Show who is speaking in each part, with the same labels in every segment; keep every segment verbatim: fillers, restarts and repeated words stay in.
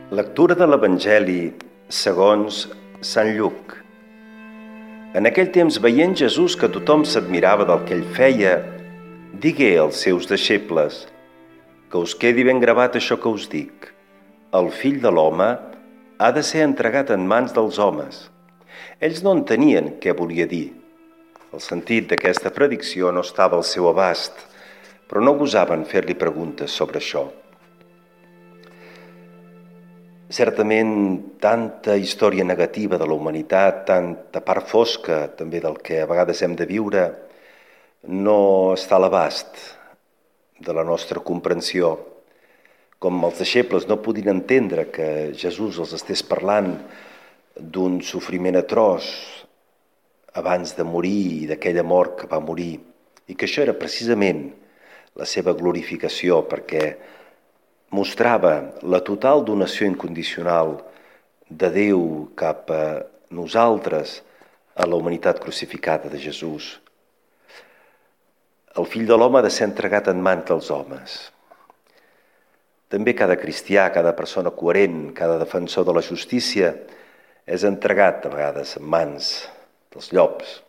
Speaker 1: Lectura de l'Evangeli segons Sant Lluc. En aquell temps, veient Jesús que tothom s'admirava del que ell feia, digué als seus deixebles: que us quedi ben gravat això que us dic. El Fill de l'home ha de ser entregat en mans dels homes. Ells no entenien què volia dir. El sentit d'aquesta predicció no estava al seu abast, però no gosaven fer-li preguntes sobre això. Certament, tanta història negativa de la humanitat, tanta part fosca també del que a vegades hem de viure, no està a l'abast de la nostra comprensió. Com els deixebles no podien entendre que Jesús els estés parlant d'un sofriment atroç abans de morir i d'aquella mort que va morir, i que això era precisament la seva glorificació, perquè mostrava la total donació incondicional de Déu cap a nosaltres, a la humanitat crucificada de Jesús. El Fill de l'home ha de ser entregat en mans dels homes. També cada cristià, cada persona coherent, cada defensor de la justícia és entregat a vegades en mans dels llops,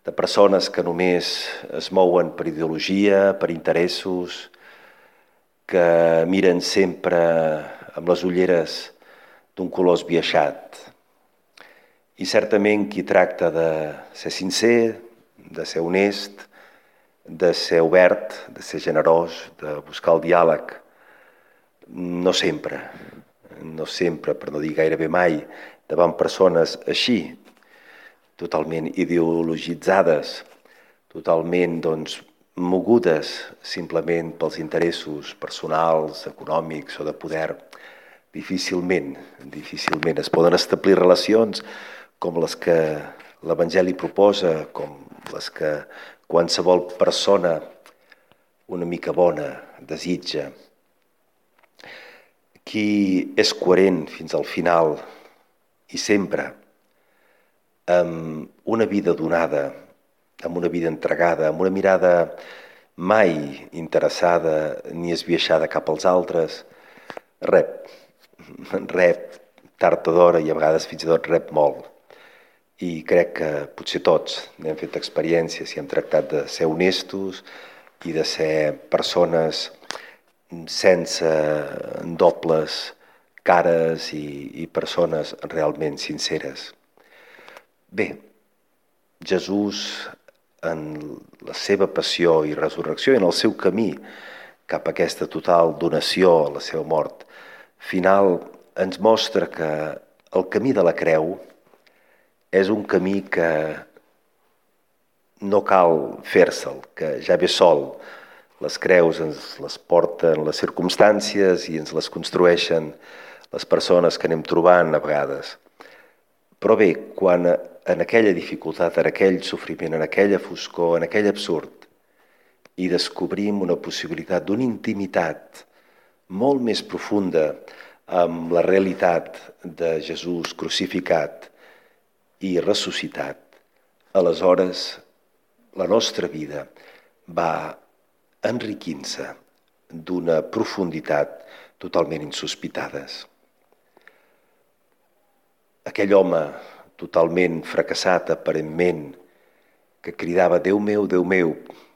Speaker 1: de persones que només es mouen per ideologia, per interessos, que miren sempre amb les ulleres d'un color esbiaixat. I certament qui tracta de ser sincer, de ser honest, de ser obert, de ser generós, de buscar el diàleg, no sempre, no sempre, per no dir gairebé mai, davant persones així, totalment ideologitzades, totalment, doncs, mogudes simplement pels interessos personals, econòmics o de poder, difícilment, difícilment es poden establir relacions com les que l'Evangeli proposa, com les que qualsevol persona una mica bona desitja. Qui és coherent fins al final i sempre amb una vida donada, amb una vida entregada, amb una mirada mai interessada ni esbiaixada cap als altres, rep, rep tard o d'hora i a vegades fins i tot rep molt. I crec que potser tots hem fet experiències i hem tractat de ser honestos i de ser persones sense dobles cares i, i persones realment sinceres. Bé, Jesús, en la seva passió i resurrecció i en el seu camí cap a aquesta total donació a la seva mort final, ens mostra que el camí de la creu és un camí que no cal fer-se'l, que ja ve sol. Les creus ens les porten les circumstàncies i ens les construeixen les persones que anem trobant a vegades. Però bé, quan en aquella dificultat, en aquell sofriment, en aquella foscor, en aquell absurd, i descobrim una possibilitat d'una intimitat molt més profunda amb la realitat de Jesús crucificat i ressuscitat, aleshores la nostra vida va enriquint-se d'una profunditat totalment insospitades. Aquell home totalment fracassat aparentment, que cridava Déu meu, Déu meu,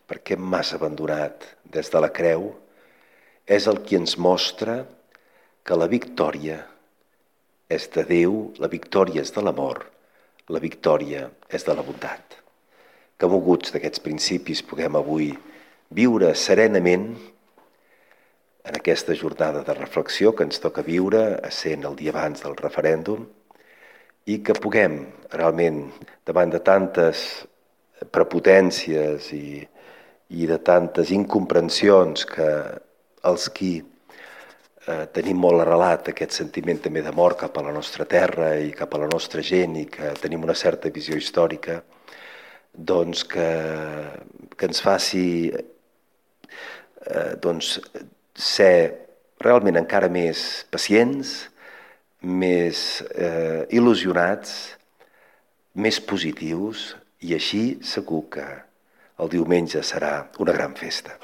Speaker 1: per què m'has abandonat des de la creu, és el qui ens mostra que la victòria és de Déu, la victòria és de l'amor, la victòria és de la bondat. Que moguts d'aquests principis puguem avui viure serenament en aquesta jornada de reflexió que ens toca viure, essent el dia abans del referèndum, i que puguem realment, davant de tantes prepotències i, i de tantes incomprensions que els qui eh, tenim molt arrelat aquest sentiment també d'amor cap a la nostra terra i cap a la nostra gent i que tenim una certa visió històrica, doncs que, que ens faci eh, doncs, ser realment encara més pacients, més eh, il·lusionats, més positius, i així segur que el diumenge serà una gran festa.